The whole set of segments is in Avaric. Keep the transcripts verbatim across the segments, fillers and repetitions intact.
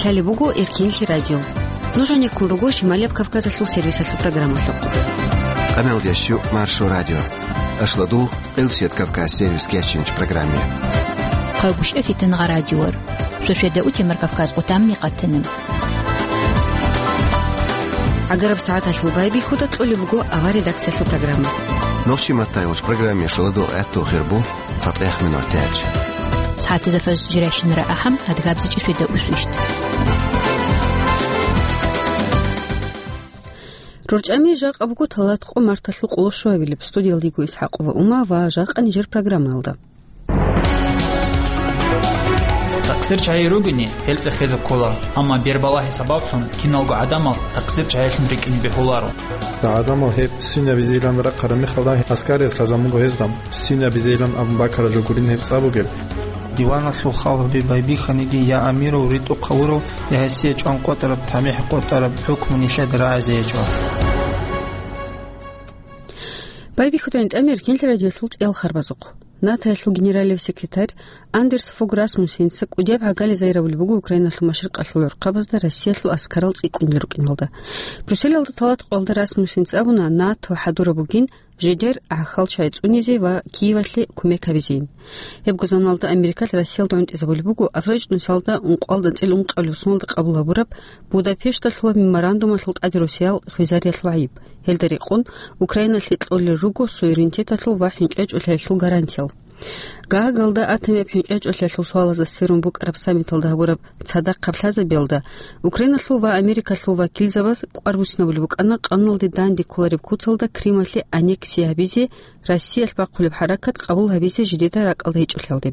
Лъалеб буго Эркинлъи радио. Нуж гьанеккун руго Шималияб Кавказалъул сервисалъул программалъухъ. Къаналдящу Маршо радио. Ашладул Элсет Кавказ сервис кечинч программе. Хъагушев Фитангъа радиор. Шошведа утемар Кавказ къутамни къатана. ГӀагараб сагӀаталъул байбихьуда кьолеб буго авар редакциялъул программа. Нохчи маттайгъуч программе шоладул гӀаттул хирбу цатӀех минор тяч. СагӀатазда фаз жирайщинара ахӀам, адгабзичӀи шведа усвищт. РорчӀами жакъа буго талат къо марталъул къоло щуабилеб. Студиялдиго Исхакъова Ума ва жакъа нижер программаялда. Такъсир чагӀи ругени, гьел цӀехезе ккола, амма бербалагьи сабаблъун киналго гӀадамал такъсир чагӀилъун рикӀкӀине бегьуларо. ГӀадамал гьеб синабизейилан рахъараб мехалда, аскариялъ лъазабун буго гьезда, синабизейилан абун бакараб жо гурин гьеб цӀа бугеб. Диваналъул халгьби байбихьаниги, я амирав, ритӀухъ гьавурав, я гьесие чӀван къотӀараб, тамихӀ къотӀараб хӀукму нилъеда рагӀизе гьечӀо. Байбихьудайин тӀамир кинлъи радиолъул цӀел харбазухъ. НАТОялъул генералив секретарь Андерс Фог Расмуссенца кӀудияб гӀагали зайравулеб буго Украиналъул машрикъалъул гӀурхъабазда Россиялъул аскарал цӀикӀкӀунел рукӀиналда. Брюсселалда талат къоялда Расмуссенца абуна, НАТО хӀадураб бугин жидер гӀахьал чагӀи цӀунизе ва Киевалъе кумек гьабизейин. Гьебго заманалда Америкалъ Россиялда гӀунтӀизабулеб буго азрачӀнусиялда ункъоялда анцӀила ункъабилеб соналда къабул гьабураб Будапешталъула меморандумалъул тӀаде росиял хвезариялъул гӀайиб. Гьелда рекъон Украиналъе кьолел руго суверенитеталъул ва хӀинкъичӀолъиялъул гарантиял. Гаагалда атомияб хӀинкъичӀолъиялъул суалазда сверун букӀараб саммиталда гьабураб цадахъаб лъазабиялда Украиналъул ва Америкалъул вакилзабаз кӀвар буссинабулеб букӀана къануналде данде кколареб куцалда Крымалъе аннексия гьабизе, Россиялъ бахъулеб хӀаракат къабул гьабизе жидеда ракӀалда гьечӀолъиялде.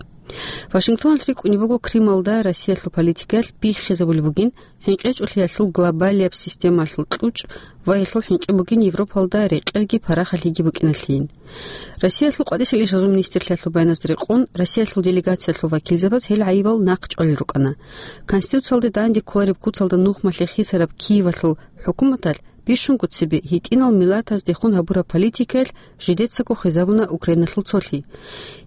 Вашингтоналъ рикӀкӀунеб буго Крымалда Россиялъул политикаялъ биххизабулеб бугин, хӀинкъичӀолъиялъул глобалияб системалъул кьучӀ ва гьелъул хӀинкъи бугин Европалда рекъелги парахалъиги букӀиналъейин. Россиялъул къватӀисел ишазул министрлъиялъул баяназда рекъон, Россиялъул делегациялъул вакилзабаз гьел гӀайибал нахъчӀвалел рукӀана. Конституциялде данде кколареб куцалда нухмалъе хисараб Киевалъул хӀукуматалъ бищунго цебе гьитӀинал миллатаздехун гьабураб политикаялъ жидецаго хвезабуна Украиналъул цолъи.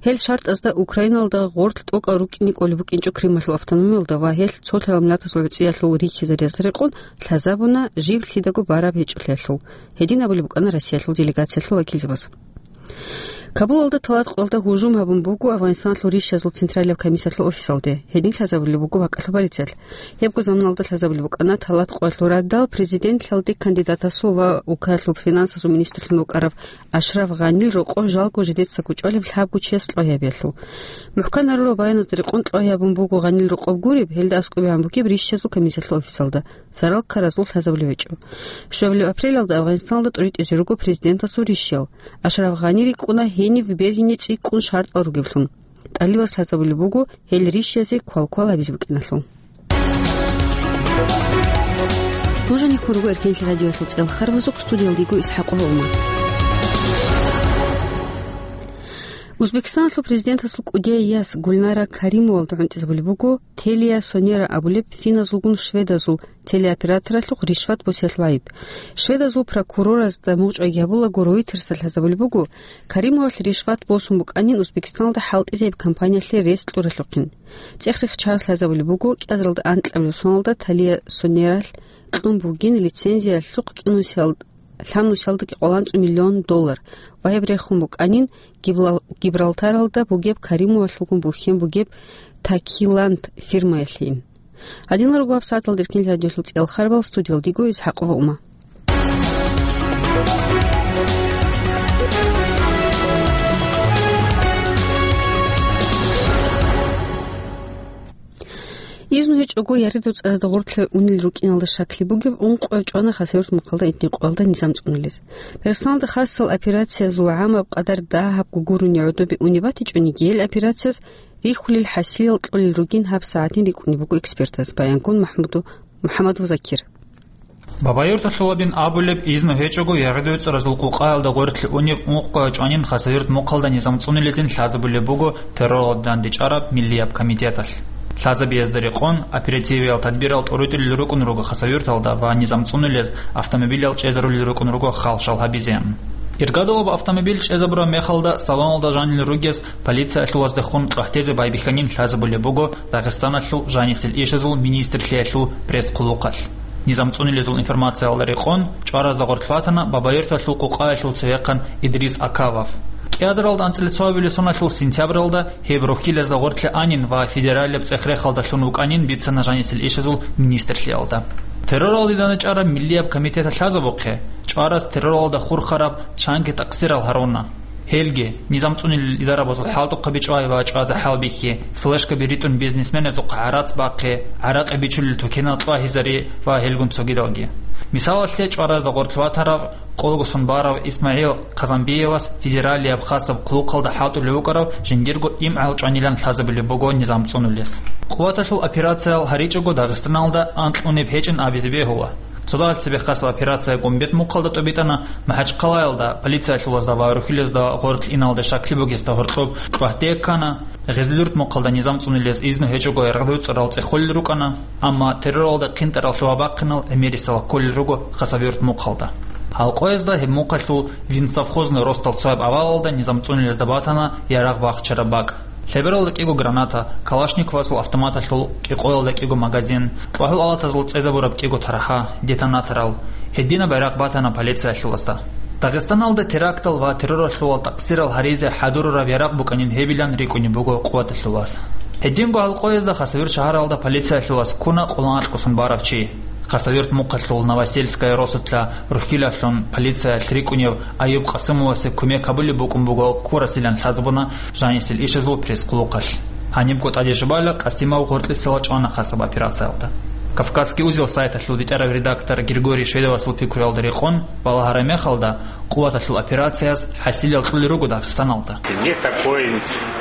Гьел шартӀазда Украиналда гъорлъ тӀокӀал рукӀине кӀолеб букӀинчӀо Крымалъул автономиялда ва гьелъ цолъарал миллатазул гӀуцӀиялъул рихьизариялда рекъон лъазабуна жиб лъидаго бараб гьечӀолъиялъул. Гьедин абулеб букӀана Россиялъул делегациялъул вакилзабаз. Кабулалда талат къоялда гьужум гьабун буго Афганистаналъул ришшазул централияб комиссиялъул офисалде. Гьедин лъазабулеб буго бакӀалъул полициялъ. Гьебго заманалда лъазабулеб букӀана талат къоялъул радал президентлъалде кандидатасул ва улкаялъул финансазул министрлъун вукӀарав Ашраф Гъанил рокъов жалго жидецаго чӀвалеб лъабго чияс кьогьабиялъул. МухӀкан гьарурал баяназда рекъон кьогьабун буго Гъанил рокъоб гуреб, гьелда аскӀобегӀан бугеб ришшазул комиссиялъул офисалда. Зарал ккаразул лъазабулеб гьечӀо. Щвабилеб апрелалда Афганистаналда тӀуритӀизе руго президентасул ришшиял. Ашраф Гъани рикӀкӀуна гьенив бергьине цӀикӀкӀун шартӀал ругевлъун. ТӀалибаз лъазабулеб буго гьел ришшиязе квалквал гьабизе букӀиналъул. Нуж гьанеккун руго Эркенлъи радиоялъул цӀел харбазухъ, студиялда йиго Исхакъова Ума. Узбекистаналъул президентасул кӀудияй яс Гульнара Каримовалда гӀунтӀизабулеб буго Телия Сонера абулеб финназулгун шведазул телеоператоралъухъ ришват босиялъул гӀайиб. Шведазул прокуроразда мугъчӀвайги гьабулаго, Ройтерсалъ лъазабулеб буго, Каримовалъ ришват босун букӀанин Узбекистаналда хӀалтӀизаб компаниялъе рес кьуралъухъин. ЦӀех-рех чагӀаз лъазабулеб буго, кӀиазаралда анкьабилеб соналда Талия Сонералъ кьун бугин лицензиялъухъ кӀинусиялда лъабнусиялдаги къоланцӀу миллион доллар ва гьеб рехун букӀанин Гибрал-, Гибралтаралда бугеб Каримовалъулгун бухьен бугеб Такиланд фирмаялъейин. Гьадинал руго гьабсагӀаталда Эркенлъи радиоялъул цӀел харбал, студиялда йиго Исхакъова Ума. Изну гьечӀого яридуцӀаразда гъорлъе унел рукӀиналда щаклъи бугев ункъояв чӀвана Хасавюрт мухъалда этникъоялда низам цӀунулез. Дагъистаналда хасал операциязул гӀамаб къадар дагьабго гурони гӀодобе унеб батичӀониги, гьел операцияз рихьулел хӀасилал кьолел ругин гьабсагӀатин рикӀкӀунеб буго экспертаз, баянгун МахӀмуду-, МухӀаммадов Закир. Бабаюрталъулабин абулеб, изну гьечӀого яридуцӀаразул къукъаялда гъорлъе унев ункъояв чӀванин Хасавюрт мухъалда низам цӀунулезин лъазабулеб буго терроралда дандечӀараб миллияб комитеталъ. Лъазабиязда рекъон, оперативиял тадбирал тӀуритӀулел рукӀун руго Хасавюрталда ва низам цӀунулез автомобилал чӀезарулел рукӀун руго хал-шал гьабизе. Иргадулаб автомобиль чӀезабураб мехалда салоналда жанил ругез полициялъулаздехун тӀватӀизе байбихьанин лъазабулеб буго Дагъистаналъул жанисел ишазул министрлъиялъул пресс-хъулухъалъ. Низам цӀунилезул информациялда рекъон, чӀваразда гъоркь ватана Бабаюрталъул къукъаялъул цевехъан Идрис Акавов. КӀиазаралда анцӀила цоабилеб соналъул сентябралда гьеб рухьилазда гъоркье анин ва федералияб цӀех-рехалдалъун вукӀанин бицана жанисел ишазул министрлъиялда. Терроралде дандчӀвараб миллияб комитеталъ лъазабухъе, чӀвараз терроралда хурхараб чанги такъсирал гьаруна. Гьелги, низам цӀунилел идарабазул хӀалтӀухъаби чӀвай ва чӀвазе хӀалбихьи, флешкаби ритӀун бизнесменазухъа гӀарац бахъи, гӀаракъи бичулел тукенал кьвагьизари ва гьелгун цогидалги. Мисалалъе, чӀваразда гъоркь ватарав, къолгосун барав ИсмагӀил Казанбиевас федералияб хасаб хъулухъалда хӀалтӀулев вукӀарав жиндирго имгӀал чӀванилан лъазабулеб буго низам цӀунулес. Къуваталъул операциял гьаричӀого Дагъистаналда анкьунеб гьечӀин абизе бегьула. Цодагьал цебе хасаб операция Гумбет мухъалда тӀобитӀана, МахӀачхъалаялда полициялъулазда ва рухьилазда гъоркь иналде щаклъи бугесда гьоркьоб кьвагьде ккана, Гъезлюрт мухъалда низам цӀунилез изну гьечӀого яргъдуцӀарал цӀехолел рукӀана, амма терроралда хъинтӀаралъув вабахъинал гӀемерисела кколел руго Хасавюрт мухъалда. Гьалкъоязда гьеб мухъалъул винсовхозный росдал цояб авалалда низам цӀунилезда батана ярагъ бахчараб бакӀ. Лъебералда кӀиго граната, Калашниковасул автоматалъул кӀикъоялда кӀиго магазин, кьвагьул алатазул цӀезабураб кӀиго тарха, детонаторал, гьединаб байрахъ батана полициялъулазда. Дагъистаналда терактал ва терроралъувал такъсирал гьаризе хӀадурараб ярагъ букӀанин гьебилан рикӀкӀунеб буго къуваталъулаз. Гьединго гьалкъоязда Хасавюрт шагьаралда полициялъулаз ккуна кьулан анкьгосун барав чи. Хасавюрт мухъалъул Новосельская росулъа рухьилалъун полициялъ рикӀкӀунев Аюб Къасумовасе кумек гьабулеб букӀун буго ккурасилан лъазабуна жанисел ишазул пресс-хъулухъалъ. Гьанибго тӀаде жубала Къасимов гъоркьисела чӀвана хасаб операциялда. «Кавказский узел» сайталъул битӀарав редактор Григорий Шведовасул пикруялда рекъон, балагьараб мехалда, къуваталъул операцияс хӀасилал кьолел руго Дагъистаналда. Есть такой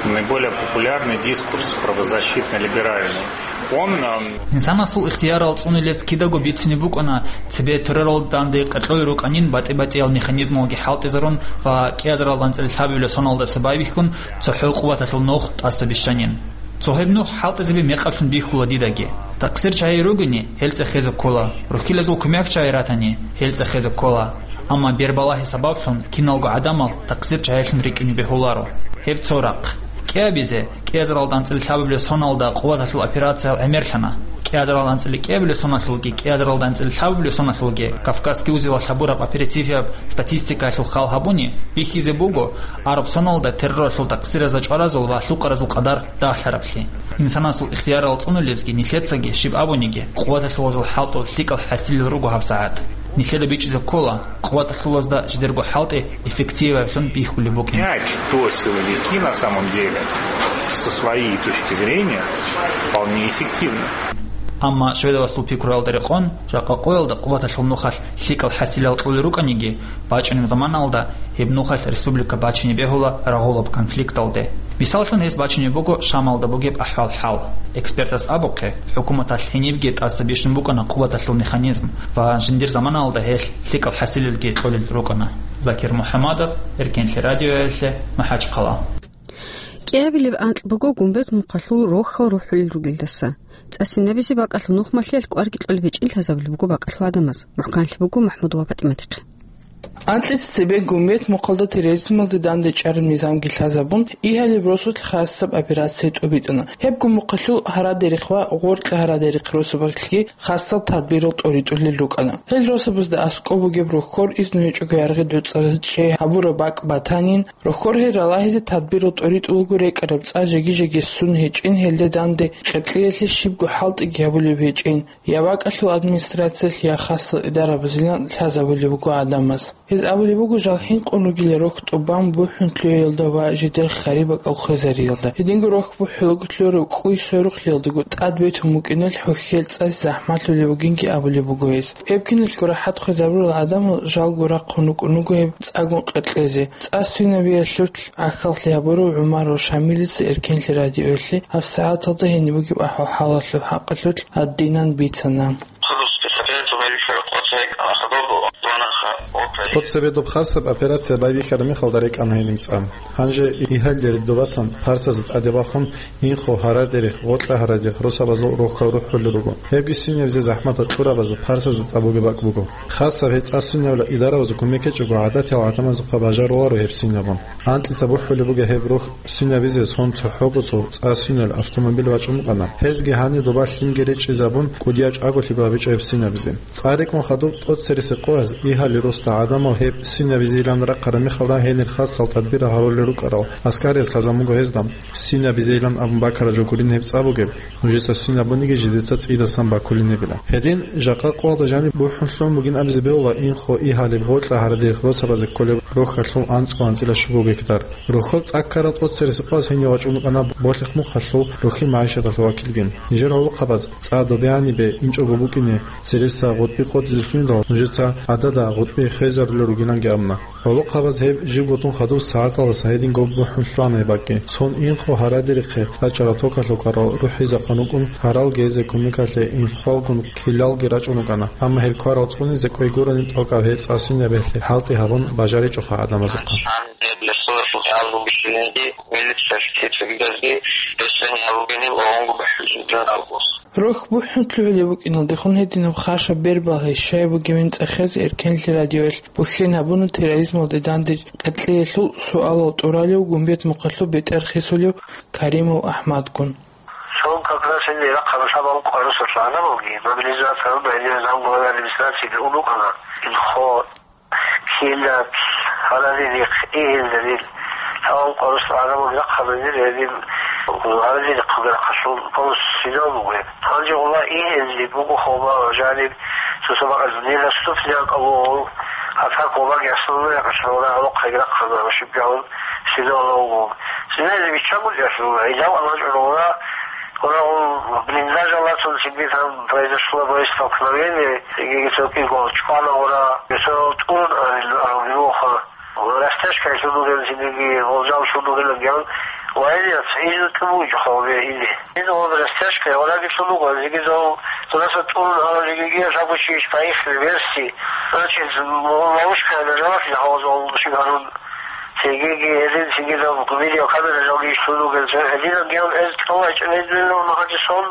наиболее популярный дискурс правозащитно-либеральный. Он, ам, Инсанасул ихтиярал цӀунилез кидаго бицунеб букӀана, цебе терроралда данде къеркьолел рукӀанин батӀи-батӀиял механизмалги хӀалтӀизарун ва кӀиазаралда анцӀила лъабабилеб соналдаса байбихьун цохӀо къуваталъул нух тӀаса бищанин. Цо гьеб нух хӀалтӀизаби мекъаблъун бихьула дидаги. Такъсир чагӀи ругони, гьел цӀехезе ккола, рухьилазул кумек чагӀи ратани, гьел цӀехезе ккола. Амма бербалагьи сабаблъун киналго гӀадамал такъсир чагӀилъун рикӀкӀине бегьуларо. Гьеб цо рахъ. КӀиабизе, кӀиазаралда анцӀила лъабабилеб соналда къуваталъул операциял гӀемерлъана. КӀиазаралда анцӀила кӀиабилеб соналъулги, кӀиазаралда анцӀила лъабабилеб соналъулги Кавказский узелалъ гьабураб оперативияб статистикаялъул хал гьабуни, бихьизе буго, араб соналда терроралъул такъсиразул чӀваразул ва лъукъаразул къадар дагьлъараблъи. Инсанасул ихтиярал цӀунулезги нилъецаги щиб абуниги, къуваталъулазул хӀалтӀул лъикӀал хӀасилел руго гьабсагӀат. Нилъеда бичӀчӀизе ккола, къуваталъулазда жидерго хӀалтӀи эффективаблъун бихьулеб букӀин. Понять, кто силовики на самом деле, со своей точки зрения, вполне эффективно. Амма Шведовасул пикруялда рекъон, жакъа къоялда къуваталъул нухалъ лъикӀал хӀасилал кьолел рукӀаниги, бачӀунеб заманалда гьеб нухалъ республика бачине бегьула рагъулаб конфликталде. Мисаллъун, гьес бачине буго Шамалда бугеб ахӀвал-хӀал. Экспертас абухъе, хӀукуматалъ гьенибги тӀаса бищун букӀана къуваталъул механизм ва жиндир заманалда гьелъ лъикӀал хӀасилалги кьолел рукӀана. Закир МухӀаммадов, Эркенлъи радиоялъе, МахӀачхъала. КӀиабилеб анкь буго Гумбет мухъалъул рохьал рухӀулел ругелдаса. ЦӀасинабизе бакӀалъул нухмалъиялъ кӀварги кьолеб гьечӀин лъазабулеб буго бакӀалъул гӀадамаз. МухӀканлъи буго МахӀмуд ва ПатӀиматихъе. Анкьица цебе Гумбет мухъалда терроризмалде данде чӀараб низамги лъазабун, Игьалиб росулъ хасаб операция тӀубитӀана. Гьебго мухъалъул гьарадерихъ ва гъоркьа гьарадерихъ росабалъги хасал тадбирал тӀоритӀулел рукӀана. Гьел росабазда аскӀоб бугеб рохьор изну гьечӀого яргъи дуцӀараз чӀей гьабураб бакӀ батанин, рохьор гьел ралагьизе тадбирал тӀоритӀулаго рекӀараб цӀа жеги-жеги ссун гьечӀин, гьелда данде къеркьеялъе щибго хӀалтӀиги гьабулеб гьечӀин. Я бакӀалъул администрациялъ, я хасал идарабазилан лъазабулеб буго гӀадамаз. Гьез абулеб буго, жал хӀинкъун ругел рохь тӀубан бухӀун лъугӀиялда ва жидер хариб бакӀал хвезариялда. Гьединго рохь бухӀулаго лъураб кӀуй сверухълъиялдаго тӀад бетун букӀиналъ хӀухьел цӀазе захӀмалъулеб бугинги абулеб буго гьез. Гьеб киналго рахӀат хвезабурал гӀадамал жалго рахъун рукӀун руго гьеб цӀагун къеркьезе. ЦӀа свинабиялъулъ гӀахьаллъи гьабурав ГӀумаров Шамилица Эркенлъи радиоялъе гьабсагӀаталда гьениб бугеб ахӀвал-хӀалалъул хӀакъалъулъ гьадинан бицана. ТӀоцебе доб хасаб операция байбихьараб мехалда рекӀана гьениб цӀа. Гьанже Игьалил ридобасан парсазда тӀаде бахун, Инхо, Гьарадерих, Гъоркьа Гьарадерих росабазул рохьал рухӀулел руго. Гьебги свинабизе захӀматал кьурабазул парсазда тӀад бугеб бакӀ буго. Хасаб гьеб цӀа свинабилан идаравазул кумек гьечӀого, гӀадатиял гӀадамазухъа бажаруларо гьеб свинабун. Анкьица бухӀулеб буго гьеб рохь свинабизе, сон цохӀого цо цӀа свинал автомобиль вачӀун вукӀана. Гьезги гьанир доба лъимги речӀчӀизабун, кӀудияв чӀаголъиго гьабичӀо гьеб свинабизе. ЦӀа рекӀун хадуб тӀоцереси къояз Игьалил росда гӀадамал гьеб свинабизейилан рахъараб мехалда гьенир хасал тадбирал гьарулел рукӀарал аскариялъ лъазабун буго гьезда. Свинабизейилан абун бакараб жо гурин гьеб цӀа бугеб, нужеца свинабуниги жидеца цӀидасан бакулин гьебила. Гьедин жакъа къоялда жаниб бухӀун лъугӀун бугин абизе бегьула Инхо, Игьалил, Гъоркьа Гьарадерих росабазе кколеб рохьалъул анцӀго анцӀила щуго гектар. Рохьоб цӀаккарал тӀоцереси къояз гьенив вачӀун вукӀана Болъихъ-Мухъалъул рохьил магӀишаталъул вакилгин. Нижер гӀолохъабаз цӀа добеянибе инчӀого букӀине цереса гъутӀби къотӀизе лъугьиндал, нужеца гӀадада гъутӀби хвезарулел ругиланги абуна. ГӀолохъабаз гьеб жибго тун хадуб сагӀаталдаса гьединго бухӀун лъугӀана гьеб бакӀги. Сон Инхо, Гьарадерихъе рачӀарал токалъул кӀварал рухӀизехъан рукӀун, гьарал гьезие кумекалъе инхъвалгун килалги рачӀун рукӀана, амма гьел кварал цӀунизе кӀвей гурони тӀокӀаб гьеб цӀа свинабиялъе хӀалтӀи гьабун бажаричӀоха гӀадамазухъа. Рохь бухӀун лъугӀулеб букӀиналдехун гьединаб хашаб бербалъи щай бугебин цӀехезе Эркенлъи радиоялъ бухьен гьабуна терроризмалде данде къеркьеялъул суалал тӀуралев Гумбет-Мухъалъул бетӀер хисулев Каримов АхӀмадгун. Цо как раз гьенир рахъараб шабаб къварусалъ гӀадамалги мобилизация гьабун, гьенир замглаваялъ администрациялде ун рукӀана. Инхо, Килат, Гьарадерихъ, Игьалил, гьал къварусалъ гӀадамалги рахъараб гьенир, гьедин Гьарадерихъалги рахъалъул полностью свинал буго гьеб. Гьанже гъула Игьалил буго хъума ва жаниб цо-цо бакӀалда нилъ наступление кьабул, атака ваги основной якъалъугьуна гьалухъаги рахъана ва щибгагьун свинал вуго. Свиназе биччан гурчӀалъугьуна, гьелав анажгӀуругьуна, гьурагьун блиндажалдасан цинги там произошло боестолкновение, цинги цо кӀиго чӀвана гьура, гьесо тӀурун арил арабируха. Растяжкаялъул бугел цинги, гъолжаллъун бугел гьан, военныйаз гьезул тӀубу жо хавбе ине. Гьез гъол растяжка, валаги лъун буго, зиги зол, зодаса тӀурун гьарав жигиги, жагучи иш поехали верси, значит, ловушка на жавахи хавзол шигарун. Цигиги гьезин, цигидал видеокамера жалги иш лъун бугел, гьединаб гьан гьез кьолай чӀегӀидулел магьадисон,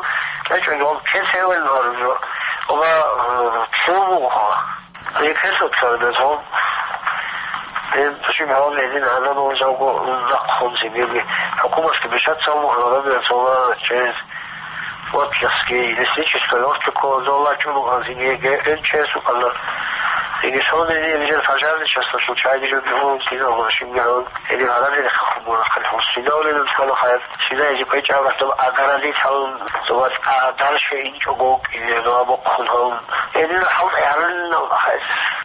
кьечӀого кесевел гьаружо. Оба, э, цо буго. Рекерсо царабезул, гьеб щиб гьавни гьедин гӀадамал жавго нахъ хунзи гьеги, хӀукуматги бишаца гьавни гьарабиялъула через Вотлихский лесничество, Вотликово зола чӀулугӀанзиги гьеб МЧС укӀана. Иги сондизе нижер пожарный часталъул чайги жо бигьун киналго щиб гьавни гьедин гьарабиялъе хъубура хъалихъун. Сида урилан цӀалахъаян, сида гьезие кӀвечӀав рахъдал агаралил гьавун, зобал а дальше инчӀого вукӀине, дова бохъун гьавун. Гьединал хӀалтӀи гьарулинал ахӀи.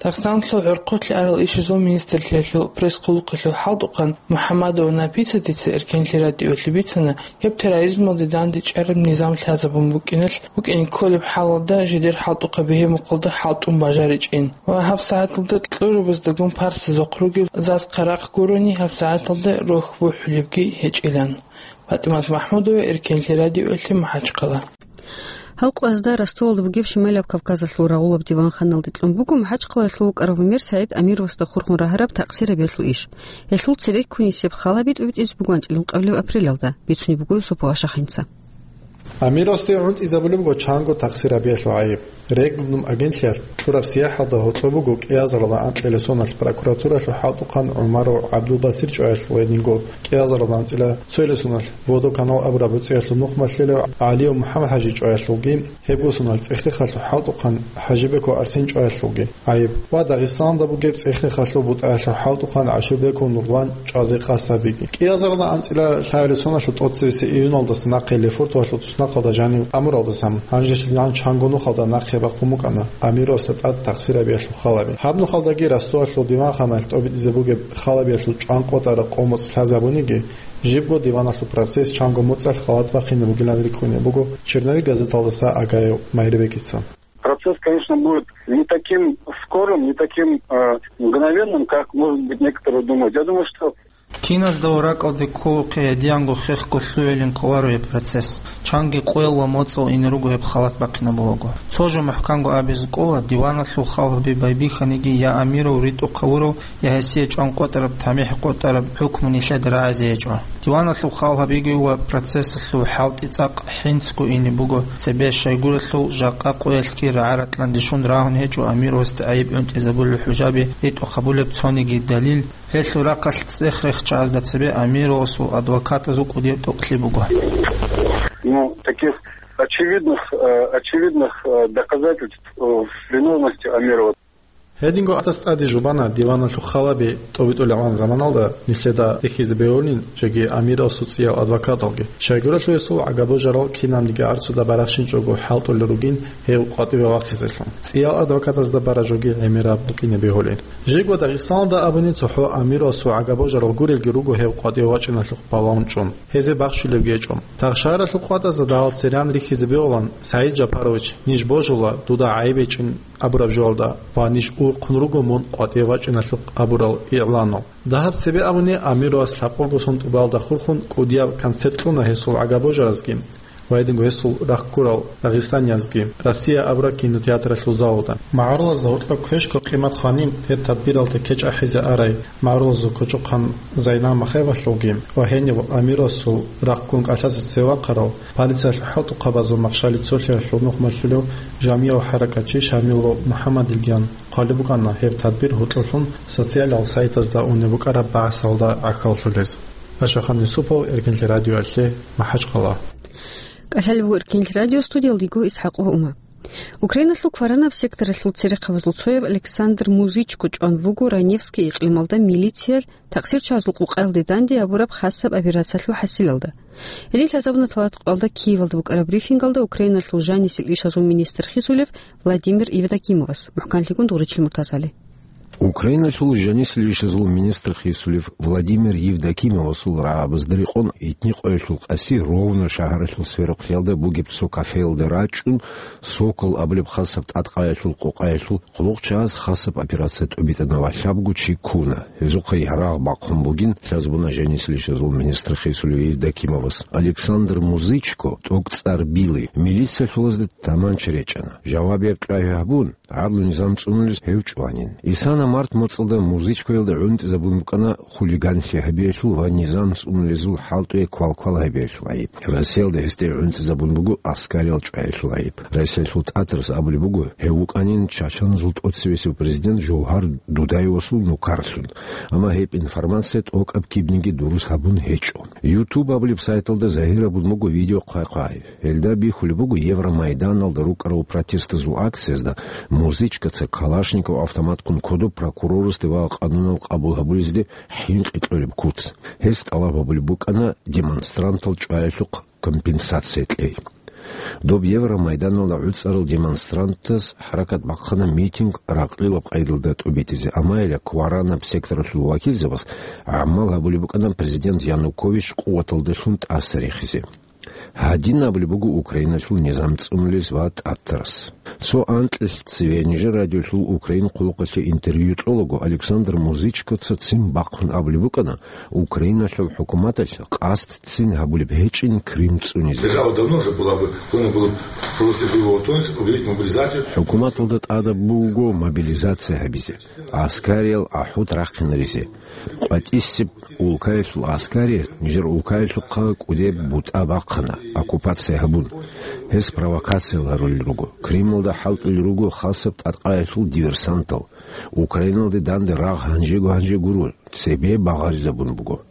Дагъистаналъул гӀурхъулъи арал ишазул министрлъиялъул пресс-хъулухъалъул хӀалтӀухъан Мухьаммадова Написатица Эркенлъи радиоялъе бицана, гьеб терроризмалде дандечӀараб низам лъазабун букӀиналъ, букӀине кколеб хӀалалда жидер хӀалтӀухъа бегьемухъалда хӀалтӀун бажаричӀин ва гьаб сагӀаталда кьурабаздагун парсазухъ ругел заз-хъарахъ гурони, гьаб сагӀаталда рохь бухӀулебги гьечӀилан. ПатӀимат МахӀмудова, Эркенлъи радиоялъе, МахӀачхъала. Гьал къоязда Ростовалда бугеб Шималияб Кавказалъул рагъулаб диванханалде кьун буго МахӀачхъалаялъув вукӀарав Умер СагӀид Амировасда хурхун рагьараб такъсир гьабиялъул иш. Гьелъул цебеккунисеб хал гьаби тӀобитӀизе буго анцӀила ункъабилеб апрелалда, бицунеб буго Юсупов Ашахинца. Амировасде гӀунтӀизабулеб буго чанго такъсир гьабиялъул гӀайиб. Регнум агентлъиялъ кьураб сияхӀалда гьоркьоб буго кӀиазаралда анкьила соналъ прокуратуралъул хӀалтӀухъан ГӀумаров ГӀабдулбасир чӀваялъул ва гьединго кӀиазаралда анцӀила цоялъул соналъ Водоканал абураб гӀуцӀиялъул нухмалъ лъелев ГӀалиев МухӀаммад-ХӀажи чӀваялъулги, гьебго соналъ ЦӀехрехалъул хӀалтӀухъан ХӀажибеков Арсен чӀваялъулги гӀайиб ва Дагъистаналда бугеб ЦӀехрехалъул БутӀаялъул хӀалтӀухъан ГӀашурбеков Нурлан чӀвазе къасд гьабиги. КӀиазаралда анцӀила лъабилеб соналъул тӀоцебесеб июналдаса нахъе Лефортовалъул туснахъалда жанив амуралдасан, гьанжелъидал чанго нухалда нахъе бахъун букӀана Амировасда тӀад такъсир гьабиялъул хал гьаби. Гьаб нухалдаги Ростовалъул диванханалъ тӀобитӀизе бугеб хал гьабиялъул чӀван къотӀараб къо-моцӀ лъазабуниги, жибго диваналъул процесс чанго моцӀалъ халат бахъине бугилан рикӀкӀунеб буго «Черновик» газеталдаса Агаев Майрбекица. Процесс, конечно, будет не таким скорым, не таким, э, мгновенным, как, может быть, некоторые думают. Я думаю, что Киназдаго ракӀалде кколухъе гьедиянго хехго лъугӀилин кколаро гьеб процесс. Чанги къоял ва моцӀал ине руго гьеб халат бахъинабулаго. Цо жо мухӀканго абизе кӀола, диваналъул хал гьабиги байбихьаниги я амирав ритӀухъ гьавурав, я гьесие чӀван къотӀараб, тамихӀ къотӀараб хӀукму нилъеда рагӀизе гьечӀо. Диваналъул хал гьабиги ва процессалъул хӀалтӀи цӀакъ хӀинцго ине буго, цебе щайгурелъул жакъа къоялъги рагӀа-ратӀлъанде щун рагьун гьечӀо амирасда гӀайиб гӀунтӀизабулел хӀужаби ритӀухъ гьабулеб цониги далил, гьелъул рахъалъ цӀех-рехчагӀазда цебе амирасул адвокатазул кӀудияб тӀокӀлъи буго. Ну, таких очевидных, э, очевидных, э, доказательств, э, виновности Амирова. Гьединго гьадас тӀаде жубана диваналъул хал гьаби тӀобитӀулевгӀан заманалда нилъеда рихьизе бегьулин жеги амирасул цӀиял адвокаталги. Щайгурелъул гьесул гӀагабожарал кинабниги гӀарцуда барахщинчӀого хӀалтӀулел ругин гьев къватӀиве вахъизелъул. ЦӀиял адвокатазда бара жоги гӀемераб букӀине бегьулин. Жеги Дагъистаналда абуни цохӀо амирасул гӀагабожарал гурелги руго гьев къватӀиве вачӀиналъухъ балагьун чӀун. Гьезе бахщулебги гьечӀо. Тахшаралъул къватӀазда дагьал цереян рихьизе бегьулан, СагӀид Жапарович, ниж божула, дуда гӀайиб гьечӀин абураб жоялда ва ниж урхъун руго мун къватӀиве вачӀиналъухъ абурал игӀланал. Дагьаб цебе абуни, амирас лъабкъого сон тӀубалда хурхун кӀудияб концерт кьуна гьесул гӀагабожаразги ва гьединго гьесул рахъ гурал дагъистаниязги «Россия» абураб кинотеатралъул залалда. МагӀарулазда гьоркьоб квешго къимат хванин гьеб тадбиралде кечӀ ахӀизе арай магӀарулазул кочӀохъан Зайнал Махаевалъулги ва гьенив амирасул рахъгун кӀалъазе цеве вахъарав, полициялъул хӀалтӀухъабазул махщалил цолъиялъул нух малъулев жамияв хӀаракатчи Шамилов МухӀаммадилгиян хъвалеб букӀана гьеб тадбир гьоркьоблъун социалал сайтазда унеб букӀараб багӀасалда гӀахьаллъулез. Ашахан Юсупов, Эркинлъи радиоялъе, МахӀачхъала. КӀалъалеб буго Эркинлъи радио, студиялдего ИсхӀакъ ва Ума. Украиналъул кваранаб секторалъул церехъабазул цояб Александр Музычко чӀван вуго Раневский икълималда милициялъ такъсирчагӀазул къукъаялде данде гьабураб хасаб операциялъул хӀасилалда. Гьеле лъазабуна лъалатӀкъоялда Киевалда букӀараб брифингалда Украиналъул жанисел ишазул министр хисулев Владимир Евдокимовас. МухӀканлъигун дугӀричил Муртазали. Украиналъул жанисел ишазул министр хисулев Владимир Евдокимовасул рагӀабазда рекъон Этни къоялъул къаси Ровно шагьаралъул сверухълъиялда бугеб цо кафеялда рачӀун, «Сокол» абулеб хасаб тӀадкъаялъул къукъаялъул къуллукъчагӀаз хасаб операция тӀубитӀана ва лъабго чи ккуна. Гьезухъа гьарагъ бахъун бугин лъазабуна жанисел ишазул министр хисулев Евдокимовас. Александр Музычко, тӀокӀцӀар Били, милициялъулазда таманча речӀана. Жавабияб кьвагьи гьабун, гӀадлу низам цӀунулез гьев чӀванин. Исана март моцӀалда Музычкоялда гӀунтӀизабун букӀана хулиганлъи гьабиялъул ва низам цӀунулезул хӀалтӀуе квалквал гьабиялъул гӀайиб. Россиялда гьесде гӀунтӀизабун буго аскариял чӀваялъул гӀайиб. Россиялъул ТӀатарас абулеб буго, гьев вукӀанин чачаназул тӀоцевесев президент Жовгьар Дудаевасул нукарлъун. Амма гьеб информация тӀокӀаб кибниги дурус гьабун гьечӀо. YouTube абулеб сайталда загьир гьабун буго видео хъвай-хъвай. Гьелда бихьулеб буго Евромайданалда рукӀарал протестазул акциязда Музычкоца Калашников автоматккун кодоб прокурорасде ва къанунал къабул гьабулезде хӀинкъи кьолеб куц. Гьес тӀалаб гьабулеб букӀана демонстрантал чӀваялъухъ компенсация кьей. Доб Евромайданалда гӀуцӀарал демонстрантаз хӀаракат бахъана митинг ракълилаб къайдалда тӀубитӀизе, амма гьеле кваранаб секторалъул вакилзабаз гӀамал гьабулеб букӀана президент Янукович къуваталдалъун тӀаса рехизе. Гьадин абулеб буго Украиналъул низам цӀунулез ва ТӀатарас. Цо анкьилъ цеве нижер радиолъул Украин хъулухъалъе интервью кьолаго Александр Музычкоца ццин бахъун абулеб букӀана, Украиналъул хӀукуматалъ къасдцин гьабулеб гьечӀин Крым цӀунизе. Держава давно уже была бы, должна была провести боевую готовность, объявить мобилизацию. ХӀукуматалда тӀадаб буго мобилизация гьабизе, аскариял ахӀут рахъинаризе. КъватӀисеб улкаялъул аскари нижер улкаялъухъа кӀудеб бутӀа бахъана, оккупация гьабун. Гьес провокация гьарулел руго. Крымалда хӀалтӀулел руго хасаб тӀадкъаялъул диверсантал. Украиналде данде рагъ гьанжего-гьанже гуро, цебе багъаризабун буго.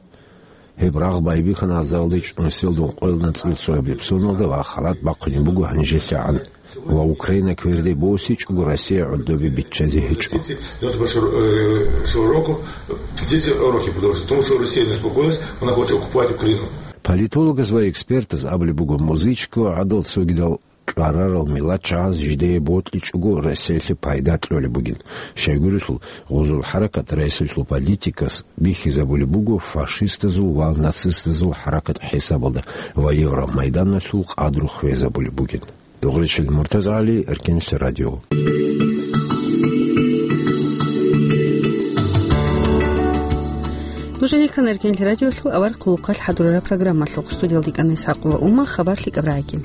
Гьеб рагъ байбихьана азаралде чӀунусиялда ункъоялда анцӀила цояб лебсоналда ва халат бахъунеб буго гьанжелъагӀан. Ва Украина кверде босичӀого, Россия гӀодобе биччазе гьечӀо. Девяносто первого, э, шестого року, э, все эти уроки продолжатся, потому что Россия не успокоилась, она хочет оккупать Украину. Политологаз ва экспертаз абулеб буго, Музычко гӀадал цогидал кьварарал миллатчагӀаз жидее бокьичӀого Россиялъе пайда кьолеб бугин. Щайгурелъул, гъозул хӀаракат Россиялъул политикас бихьизабулеб буго фашистазул ва нацистазул хӀаракат хӀисабалда ва Евромайданалъул къадру хвезабулеб бугин. Дугъричил Муртазагьали, Эркенлъи радио. Нуж гьенеккана Эркенлъи радиолъул авар хъулухъалъ хӀадурараб программалъухъ. Студиялда йикӀана ИсхӀакъ ва Ума, хабар лъикӀаб рагӀаги.